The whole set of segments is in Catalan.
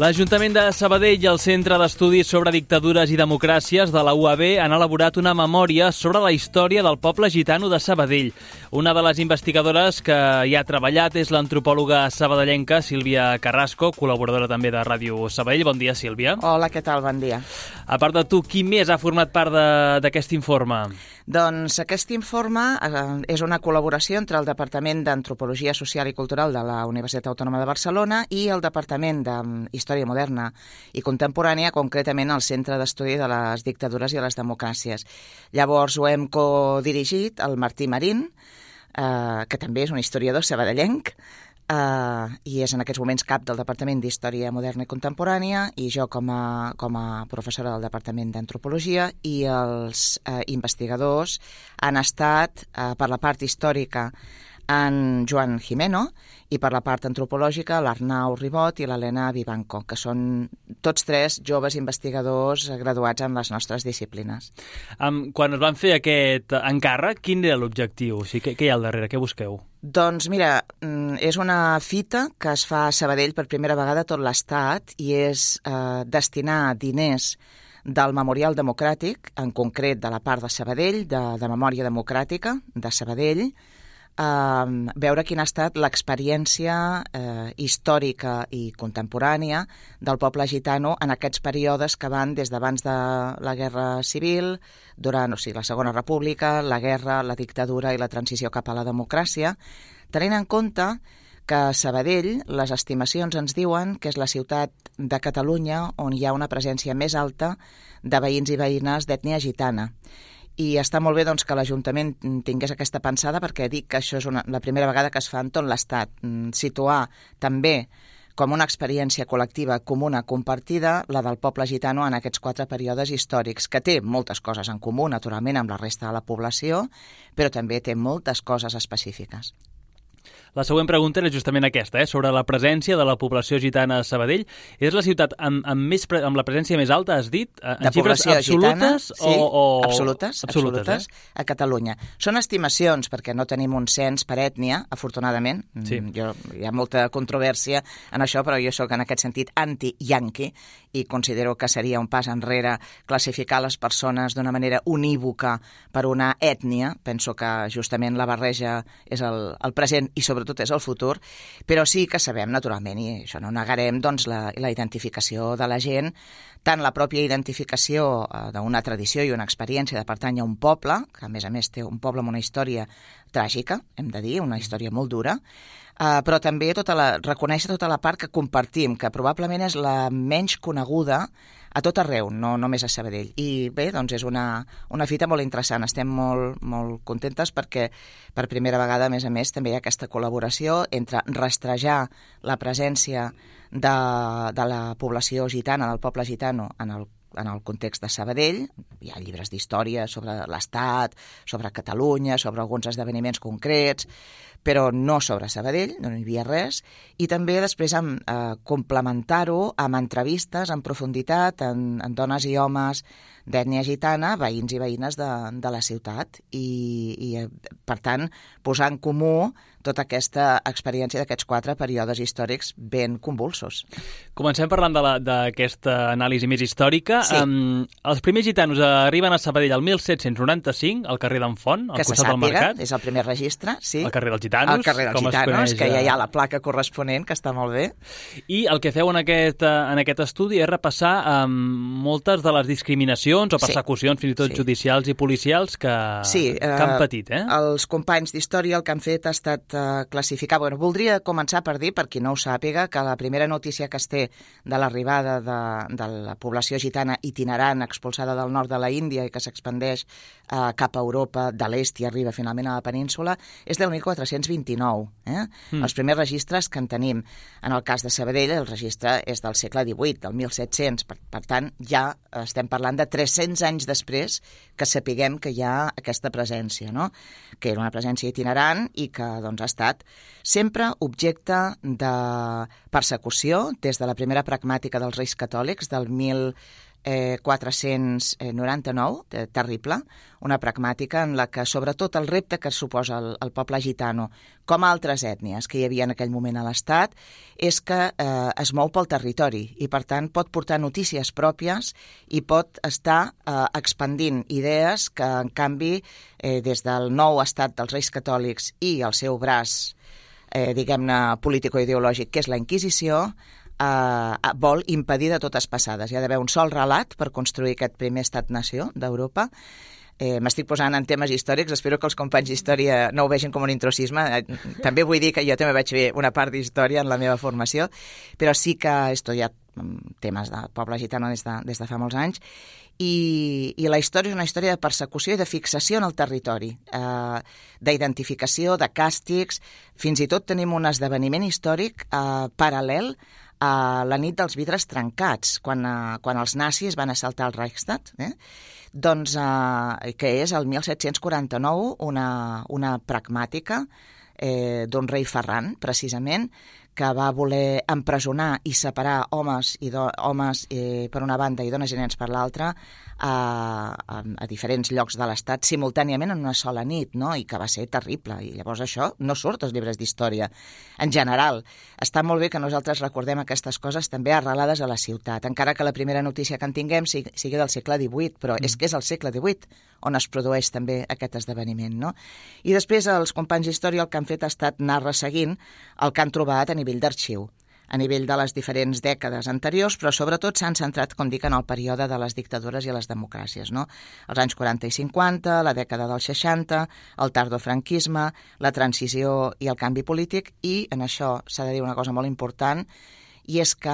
L'Ajuntament de Sabadell i el Centre d'Estudis sobre Dictadures i Democràcies de la UAB han elaborat una memòria sobre la història del poble gitano de Sabadell. Una de les investigadores que hi ha treballat és l'antropòloga sabadellenca Sílvia Carrasco, col·laboradora també de Ràdio Sabadell. Bon dia, Sílvia. Hola, què tal? Bon dia. A part de tu, qui més ha format part d'aquest informe? Doncs aquest informe és una col·laboració entre el Departament d'Antropologia Social i Cultural de la Universitat Autònoma de Barcelona i el Departament d'Història Moderna i Contemporània, concretament el Centre d'Estudi de les Dictadures i les Democràcies. Llavors ho hem codirigit el Martí Marín, que també és un historiador sabadellenc, i és en aquests moments cap del Departament d'Història Moderna i Contemporània, i jo com a professora del Departament d'Antropologia, i els investigadors han estat, per la part històrica, en Joan Gimeno, i per la part antropològica l'Arnau Ribot i l'Helena Vivanco, que són tots tres joves investigadors graduats en les nostres disciplines. Quan es van fer aquest encàrrec, quin era l'objectiu? O sigui, què hi ha al darrere? Què busqueu? Doncs mira, és una fita que es fa a Sabadell per primera vegada a tot l'Estat i és destinar diners del Memorial Democràtic, en concret de la part de Sabadell, de Memòria Democràtica de Sabadell, veure quina ha estat l'experiència històrica i contemporània del poble gitano en aquests períodes que van des d'abans de la Guerra Civil, durant la Segona República, la guerra, la dictadura i la transició cap a la democràcia, tenint en compte que a Sabadell les estimacions ens diuen que és la ciutat de Catalunya on hi ha una presència més alta de veïns i veïnes d'ètnia gitana. I està molt bé doncs, que l'Ajuntament tingués aquesta pensada, perquè dic que això és la primera vegada que es fa en tot l'Estat, situar també com una experiència col·lectiva comuna compartida la del poble gitano en aquests 4 períodes històrics, que té moltes coses en comú, naturalment, amb la resta de la població, però també té moltes coses específiques. La següent pregunta és justament aquesta, sobre la presència de la població gitana a Sabadell. És la ciutat amb la presència més alta, has dit? De població gitana, sí, absolutes a Catalunya. Són estimacions, perquè no tenim un cens per ètnia, afortunadament. Sí. Hi ha molta controvèrsia en això, però jo sóc en aquest sentit anti-yanqui i considero que seria un pas enrere classificar les persones d'una manera unívoca per una ètnia. Penso que justament la barreja és el present i sobretot és el futur, però sí que sabem, naturalment, i això no negarem, doncs, la identificació de la gent, tant la pròpia identificació d'una tradició i una experiència de pertànyer a un poble, que a més té un poble amb una història tràgica, hem de dir, una història molt dura, però també reconèixer tota la part que compartim, que probablement és la menys coneguda a tot arreu, no només a Sabadell. I bé, doncs és una fita molt interessant. Estem molt, molt contentes perquè per primera vegada, a més, també hi ha aquesta col·laboració entre rastrejar la presència de la població gitana, del poble gitano, en el context de Sabadell. Hi ha llibres d'història sobre l'Estat, sobre Catalunya, sobre alguns esdeveniments concrets, però no sobre Sabadell, no hi havia res, i també després complementar-ho amb entrevistes en profunditat en dones i homes d'ètnia gitana, veïns i veïnes de la ciutat, i per tant posar en comú tota aquesta experiència d'aquests 4 períodes històrics ben convulsos. Comencem parlant d'aquesta anàlisi més històrica. Sí. Els primers gitanos arriben a Sabadell el 1795, al carrer d'en Font, al costat del mercat. És el primer registre, sí. Al carrer dels Gitanos. Al carrer dels Gitanos, que ja hi ha la placa corresponent, que està molt bé. I el que feu en aquest estudi és repassar moltes de les discriminacions o persecucions, fins i tot judicials i policials, que han patit. Els companys d'història el que han fet ha estat classificar. Voldria començar per dir, per qui no ho sàpiga, que la primera notícia que es té de l'arribada de la població gitana itinerant expulsada del nord de la Índia i que s'expandeix cap a Europa de l'est i arriba finalment a la península és del 1429. Els primers registres que en tenim. En el cas de Sabadell, el registre és del segle XVIII, del 1700. Per tant, ja estem parlant de 300 anys després que sapiguem que hi ha aquesta presència, no? Que era una presència itinerant i que ha estat sempre objecte de persecució des de la primera pragmàtica dels Reis Catòlics del 499, terrible, una pragmàtica en la que, sobretot, el repte que suposa el poble gitano, com altres ètnies que hi havia en aquell moment a l'Estat, és que es mou pel territori i, per tant, pot portar notícies pròpies i pot estar expandint idees que, en canvi, des del nou estat dels Reis Catòlics i el seu braç, diguem-ne, político-ideològic, que és la Inquisició, vol impedir de totes passades. Hi ha d'haver un sol relat per construir aquest primer estat-nació d'Europa. M'estic posant en temes històrics, espero que els companys d'història no ho vegin com un intrusisme. També vull dir que jo també vaig fer una part d'història en la meva formació, però sí que he estudiat temes del poble gitano des de fa molts anys, i la història és una història de persecució i de fixació en el territori, d'identificació, de càstigs. Fins i tot tenim un esdeveniment històric paral·lel a la nit dels vidres trencats, quan els nazis van assaltar el Reichstag, doncs, que és el 1749 una pragmàtica d'un rei Ferran, precisament, que va voler empresonar i separar homes per una banda i dones i nens per l'altra a diferents llocs de l'Estat simultàniament en una sola nit, no? I que va ser terrible. I llavors això no surt als llibres d'història. En general, està molt bé que nosaltres recordem aquestes coses també arrelades a la ciutat, encara que la primera notícia que en tinguem sigui del segle XVIII, però és que és el segle XVIII on es produeix també aquest esdeveniment, no? I després els companys d'història el que han fet ha estat anar resseguint el que han trobat a nivell d'arxiu, a nivell de les diferents dècades anteriors, però sobretot s'han centrat, com dic, en el període de les dictadures i les democràcies, no? Els anys 40 i 50, la dècada dels 60, el tardofranquisme, la transició i el canvi polític, i en això s'ha de dir una cosa molt important, i és que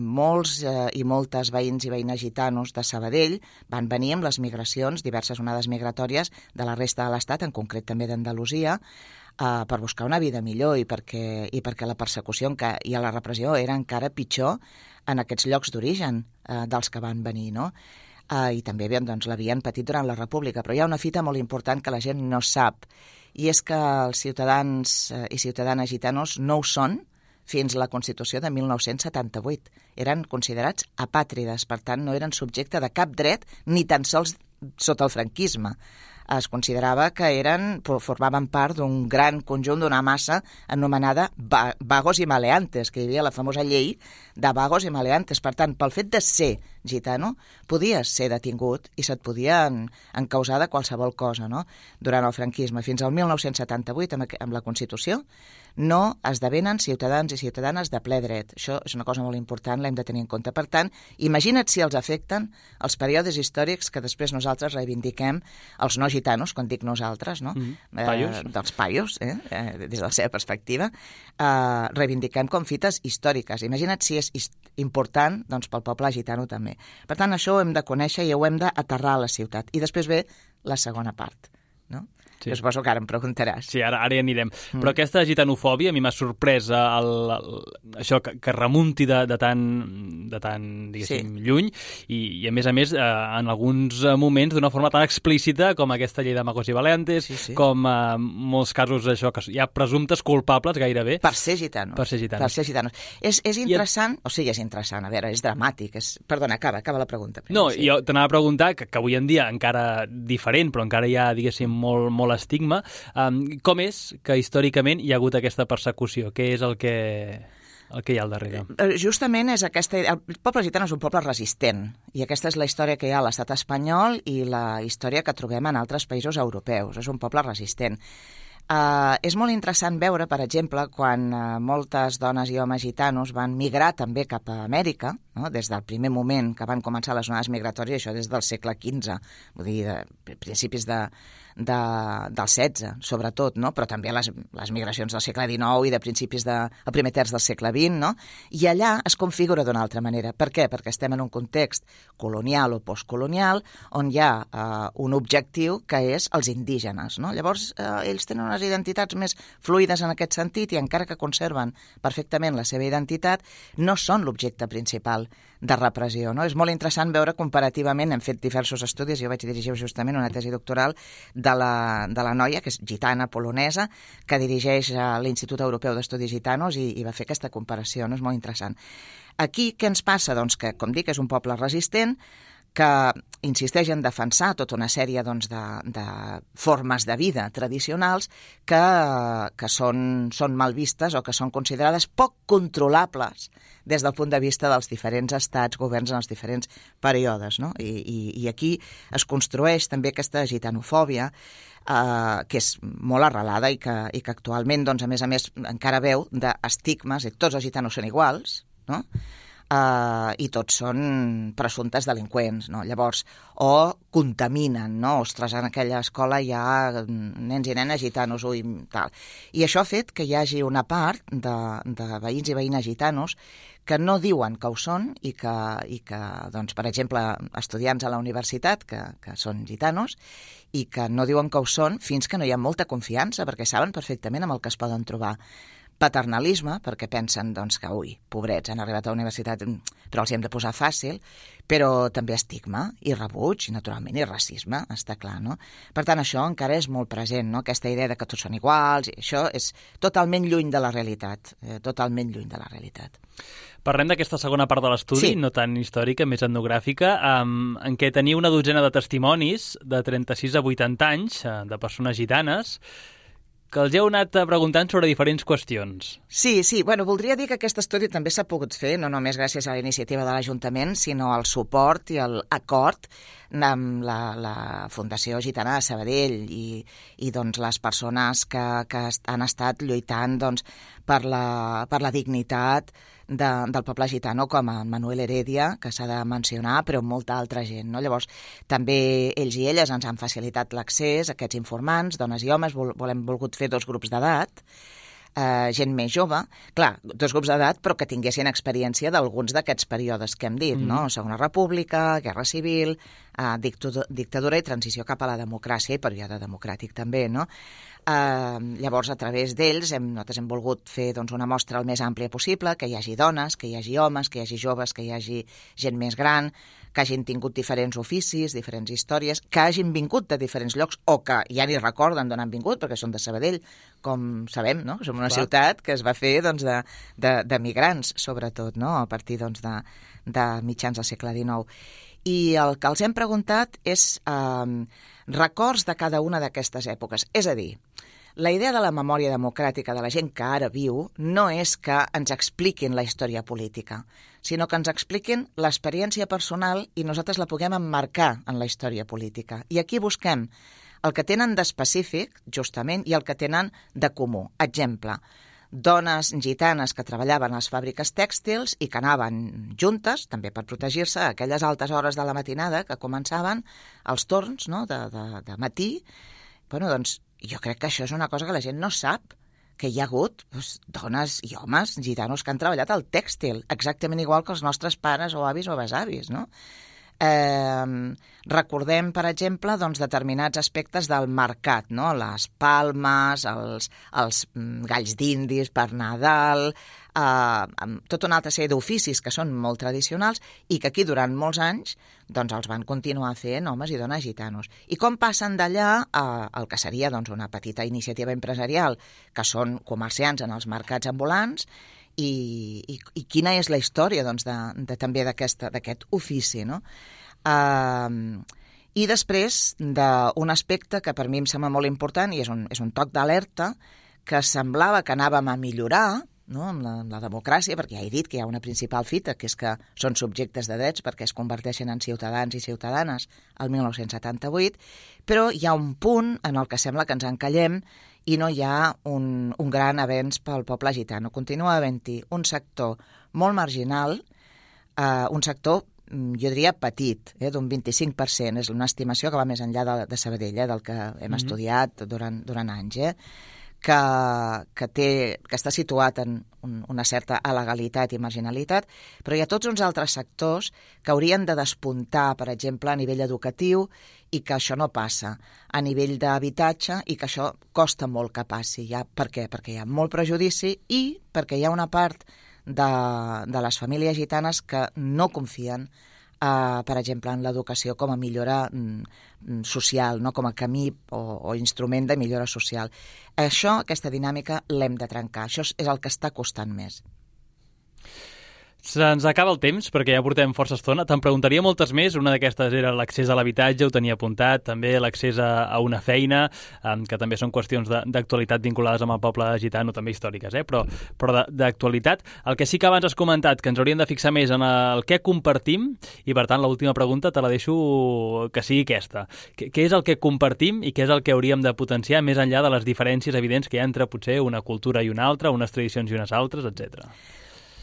molts i moltes veïns i veïnes gitanos de Sabadell van venir amb les migracions, diverses onades migratòries de la resta de l'Estat, en concret també d'Andalusia, per buscar una vida millor i perquè la persecució i la repressió era encara pitjor en aquests llocs d'origen dels que van venir, no? I també doncs, l'havien patit durant la República. Però hi ha una fita molt important que la gent no sap, i és que els ciutadans i ciutadanes gitanos no ho són fins a la Constitució de 1978. Eren considerats apàtrides, per tant no eren subjecte de cap dret, ni tan sols sota el franquisme. Es considerava que formaven part d'un gran conjunt, d'una massa anomenada vagos i maleantes, que hi havia la famosa llei de vagos i maleantes. Per tant, pel fet de ser gitano, podies ser detingut i se't podia encausar de qualsevol cosa, no? Durant el franquisme. Fins al 1978, amb la Constitució, no esdevenen ciutadans i ciutadanes de ple dret. Això és una cosa molt important, l'hem de tenir en compte. Per tant, imagina't si els afecten els períodes històrics que després nosaltres reivindiquem, els no gitanos, quan dic nosaltres, no? Paios. Dels paios, des de la seva perspectiva, reivindiquem com fites històriques. Imagina't si és important doncs, pel poble gitano també. Per tant, això ho hem de conèixer i ho hem d'aterrar a la ciutat. I després ve la segona part, no? Sí. Jo suposo que ara em preguntaràs. Sí, ara hi anirem. Però aquesta gitanofòbia a mi m'ha sorprès això que remunti de tan diguéssim, lluny i a més, en alguns moments d'una forma tan explícita com aquesta llei de Magos i Valentes, com molts casos això, que hi ha presumptes culpables gairebé. Per ser gitanos. És interessant, o sigui, és interessant, a veure, és dramàtic. Perdona, acaba la pregunta. No, jo t'anava a preguntar, que avui en dia encara diferent, però encara hi ha, diguéssim, molt l'estigma. Com és que històricament hi ha hagut aquesta persecució? Què és el que hi ha al darrere? Justament és aquesta... El poble gitano és un poble resistent, i aquesta és la història que hi ha a l'estat espanyol i la història que trobem en altres països europeus. És un poble resistent. És molt interessant veure, per exemple, quan moltes dones i homes gitanos van migrar també cap a Amèrica, no? Des del primer moment que van començar les onades migratòries, això des del segle XV, vull dir, principis del XVI, sobretot, no? Però també les migracions del segle XIX i de principis del primer terç del segle XX, no? I allà es configura d'una altra manera. Per què? Perquè estem en un context colonial o postcolonial on hi ha un objectiu que és els indígenes, no? Llavors, ells tenen unes identitats més fluides en aquest sentit i encara que conserven perfectament la seva identitat, no són l'objecte principal. de repressió. No? És molt interessant veure comparativament, hem fet diversos estudis, jo vaig dirigir justament una tesi doctoral de la noia, que és gitana, polonesa, que dirigeix l'Institut Europeu d'Estudis Gitanos i va fer aquesta comparació, no? És molt interessant. Aquí què ens passa? Doncs que, com dic, és un poble resistent, que insisteix en defensar tota una sèrie doncs, de formes de vida tradicionals que són mal vistes o que són considerades poc controlables des del punt de vista dels diferents estats, governs en els diferents períodes. No? I aquí es construeix també aquesta gitanofòbia que és molt arrelada i que actualment, doncs, a més, encara veu d'estigmes, i tots els gitanos són iguals, no? I tots són presumptes delinqüents, no? Llavors, o contaminen, no? Ostres, en aquella escola hi ha nens i nenes gitanos, tal. I això ha fet que hi hagi una part de veïns i veïnes gitanos que no diuen que ho són i que doncs, per exemple, estudiants a la universitat que són gitanos i que no diuen que ho són fins que no hi ha molta confiança, perquè saben perfectament amb el que es poden trobar. Paternalisme, perquè pensen doncs, que, pobrets, han arribat a la universitat, però els hi hem de posar fàcil, però també estigma i rebuig, i naturalment, i racisme, està clar, no? Per tant, això encara és molt present, no? Aquesta idea de que tots són iguals, i això és totalment lluny de la realitat, totalment lluny de la realitat. Parlem d'aquesta segona part de l'estudi, no tan històrica, més etnogràfica, en què teniu una dotzena de testimonis de 36 a 80 anys de persones gitanes que els heu anat preguntant sobre diferents qüestions. Sí, bueno, voldria dir que aquest estudi també s'ha pogut fer, no només gràcies a la iniciativa de l'Ajuntament, sinó al suport i al acord amb la Fundació Gitana de Sabadell i doncs, les persones que han estat lluitant doncs, per la dignitat del poble gitano, com a Manuel Heredia, que s'ha de mencionar, però molta altra gent. No? Llavors, també ells i elles ens han facilitat l'accés a aquests informants, dones i homes, hem volgut fer 2 grups d'edat, gent més jove, clar, 2 grups d'edat, però que tinguessin experiència d'alguns d'aquests períodes que hem dit, no? Segona República, Guerra Civil, dictadura i transició cap a la democràcia i període democràtic també, no? Llavors, a través d'ells, nosaltres hem volgut fer doncs, una mostra el més àmplia possible, que hi hagi dones, que hi hagi homes, que hi hagi joves, que hi hagi gent més gran, que hagin tingut diferents oficis, diferents històries, que hagin vingut de diferents llocs o que ja ni recorden d'on han vingut, perquè són de Sabadell, com sabem, no? Som una ciutat que es va fer doncs, de migrants, sobretot, no? A partir doncs, de mitjans del segle XIX. I el que els hem preguntat és records de cada una d'aquestes èpoques. És a dir, la idea de la memòria democràtica de la gent que ara viu no és que ens expliquin la història política, sinó que ens expliquin l'experiència personal i nosaltres la puguem emmarcar en la història política. I aquí busquem el que tenen d'específic, justament, i el que tenen de comú. Exemple, dones gitanes que treballaven a les fàbriques tèxtils i que anaven juntes, també per protegir-se, a aquelles altes hores de la matinada que començaven els torns, no?, de matí. Bueno, doncs, jo crec que això és una cosa que la gent no sap, que hi ha hagut dones i homes gitanos que han treballat al tèxtil, exactament igual que els nostres pares o avis o besavis, no? Recordem, per exemple, doncs, determinats aspectes del mercat, no? Les palmes, els galls d'indis per Nadal, tota una altra sèrie d'oficis que són molt tradicionals i que aquí durant molts anys doncs, els van continuar fent homes i dones gitanos. I com passen d'allà al que seria doncs, una petita iniciativa empresarial, que són comerciants en els mercats ambulants, i quina és la història doncs, també d'aquest ofici, no? I després d'un aspecte que per mi em sembla molt important i és un toc d'alerta, que semblava que anàvem a millorar, no?, amb la democràcia, perquè ja he dit que hi ha una principal fita, que és que són subjectes de drets perquè es converteixen en ciutadans i ciutadanes el 1978, però hi ha un punt en el que sembla que ens encallem i no hi ha un gran avenç pel poble gitano. Continua havent-hi un sector molt marginal, un sector, jo diria, petit, d'un 25%, és una estimació que va més enllà de Sabadell, del que hem estudiat durant anys, que està situat en una certa alegalitat i marginalitat, però hi ha tots uns altres sectors que haurien de despuntar, per exemple, a nivell educatiu, i que això no passa, a nivell d'habitatge, i que això costa molt que passi. Per què? Perquè hi ha molt prejudici i perquè hi ha una part de les famílies gitanes que no confien, per exemple, en l'educació com a millora social, no? Com a camí o instrument de millora social. Aquesta dinàmica l'hem de trencar. Això és el que està costant més. Se'ns acaba el temps, perquè ja portem força estona. Te'n preguntaria moltes més. Una d'aquestes era l'accés a l'habitatge, ho tenia apuntat, també l'accés a una feina, que també són qüestions d'actualitat vinculades amb el poble gitano, també històriques, però d'actualitat. El que sí que abans has comentat, que ens hauríem de fixar més en el què compartim, i per tant l'última pregunta te la deixo que sigui aquesta. Què és el que compartim i què és el que hauríem de potenciar més enllà de les diferències evidents que hi ha entre potser una cultura i una altra, unes tradicions i unes altres, etc.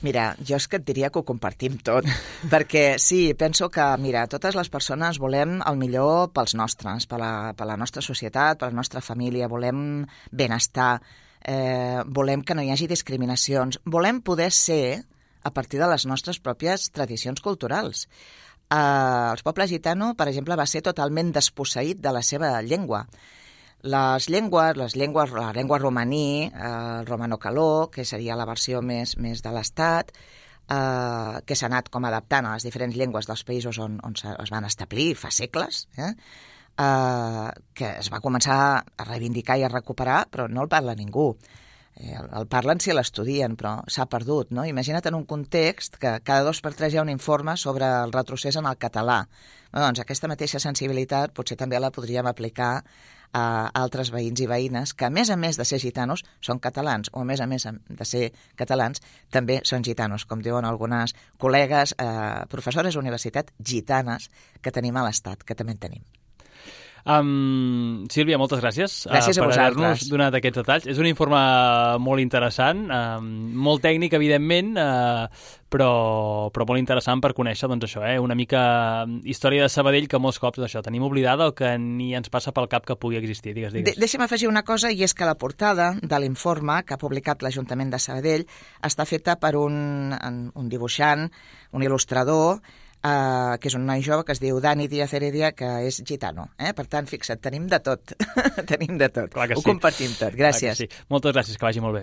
Mira, jo és que et diria que ho compartim tot, perquè sí, penso que, mira, totes les persones volem el millor pels nostres, per la nostra societat, per la nostra família, volem benestar, volem que no hi hagi discriminacions, volem poder ser a partir de les nostres pròpies tradicions culturals. El poble gitano, per exemple, va ser totalment desposseït de la seva llengua. La llengua romaní, el romano-caló, que seria la versió més de l'Estat, que s'ha anat com adaptant a les diferents llengües dels països on es van establir fa segles, que es va començar a reivindicar i a recuperar, però no el parla ningú. El parlen si l'estudien, però s'ha perdut, no? Imagina't en un context que cada 2 per 3 hi ha un informe sobre el retrocés en el català. Doncs aquesta mateixa sensibilitat potser també la podríem aplicar a altres veïns i veïnes que, a més de ser gitanos, són catalans, o a més de ser catalans, també són gitanos, com diuen algunes col·legues, professores d'universitat gitanes que tenim a l'Estat, que també en tenim. Sílvia, moltes gràcies, gràcies per haver-nos donat aquests detalls. És un informe molt interessant, molt tècnic, evidentment, però molt interessant per conèixer una mica història de Sabadell, que molts cops tenim oblidada o que ni ens passa pel cap que pugui existir. Digues. Deixa'm afegir una cosa, i és que la portada de l'informe que ha publicat l'Ajuntament de Sabadell està feta per un dibuixant, un il·lustrador, que és un noi jove que es diu Dani Díaz Heredia, que és gitano. Per tant, fixa't, tenim de tot. Tenim de tot. Ho compartim tot. Gràcies. Moltes gràcies, que vagi molt bé.